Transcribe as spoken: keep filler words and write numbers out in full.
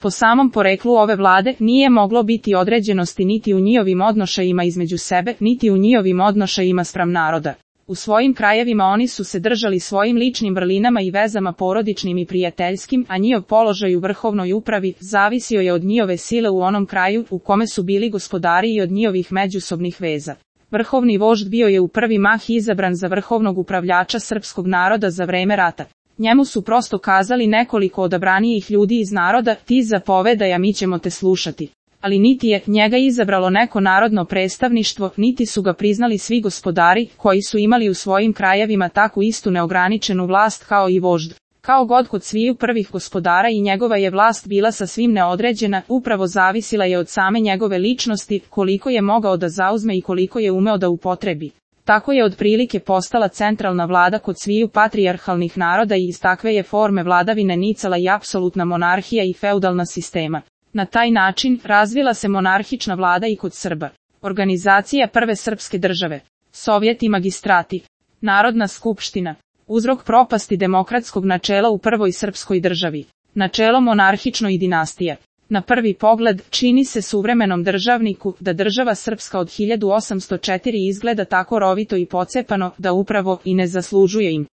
Po samom poreklu ove vlade nije moglo biti određenosti niti u njihovim odnošajima između sebe, niti u njihovim odnošajima spram naroda. U svojim krajevima oni su se držali svojim ličnim vrlinama i vezama porodičnim i prijateljskim, a njihov položaj u vrhovnoj upravi zavisio je od njihove sile u onom kraju u kome su bili gospodari i od njihovih međusobnih veza. Vrhovni vožd bio je u prvi mah izabran za vrhovnog upravljača srpskog naroda za vreme rata. Njemu su prosto kazali nekoliko odabranijih ljudi iz naroda, ti zapovedaj, a mi ćemo te slušati. Ali niti je njega izabralo neko narodno predstavništvo, niti su ga priznali svi gospodari, koji su imali u svojim krajevima takvu istu neograničenu vlast kao i vožd. Kao god kod sviju prvih gospodara i njegova je vlast bila sasvim neodređena, upravo zavisila je od same njegove ličnosti, koliko je mogao da zauzme i koliko je umeo da upotrebi. Tako je otprilike postala centralna vlada kod sviju patrijarhalnih naroda i iz takve je forme vladavine nicala i apsolutna monarhija i feudalna sistema. Na taj način razvila se monarhična vlada i kod Srba. Organizacija prve srpske države, Sovjet i magistrati, Narodna skupština, uzrok propasti demokratskog načela u prvoj srpskoj državi, načelo monarhično i dinastija. Na prvi pogled, čini se suvremenom državniku da država srpska od hiljadu osamsto četiri izgleda tako rovito i pocepano da upravo i ne zaslužuje im.